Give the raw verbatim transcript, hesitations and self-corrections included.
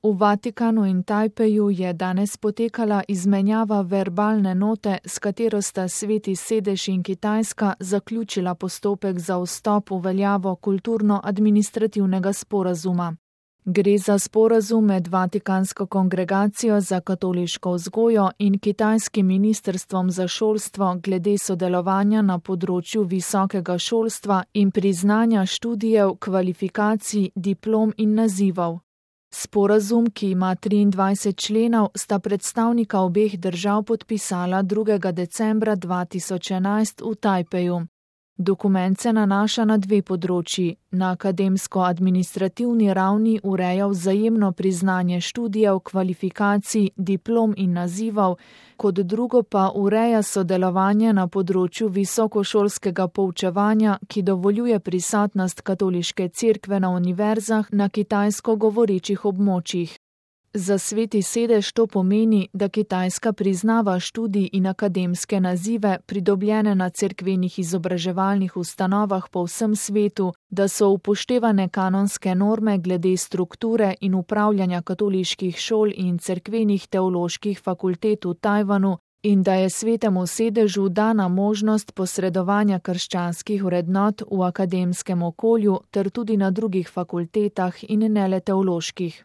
V Vatikanu in Tajpeju je danes potekala izmenjava verbalne note, s katero sta Sveti sedež in Kitajska zaključila postopek za vstop v veljavo kulturno-administrativnega sporazuma. Gre za sporazum med Vatikansko kongregacijo za katoliško vzgojo in kitajskim ministrstvom za šolstvo glede sodelovanja na področju visokega šolstva in priznanja študijev, kvalifikacij, diplom in nazivov. Sporazum, ki ima triindvajset členov, sta predstavnika obeh držav podpisala drugega decembra dva tisoč enajst v Tajpeju. Dokument se nanaša na dve področji. Na akademsko-administrativni ravni ureja vzajemno priznanje študijev, kvalifikacij, diplom in nazivov, kot drugo pa ureja sodelovanje na področju visokošolskega poučevanja, ki dovoljuje prisotnost katoliške cerkve na univerzah na kitajsko govorečih območjih. Za Sveti sedež to pomeni, da Kitajska priznava študij in akademske nazive, pridobljene na cerkvenih izobraževalnih ustanovah po vsem svetu, da so upoštevane kanonske norme glede strukture in upravljanja katoliških šol in cerkvenih teoloških fakultet v Tajvanu in da je Svetemu sedežu dana možnost posredovanja krščanskih vrednot v akademskem okolju ter tudi na drugih fakultetah in ne le teoloških.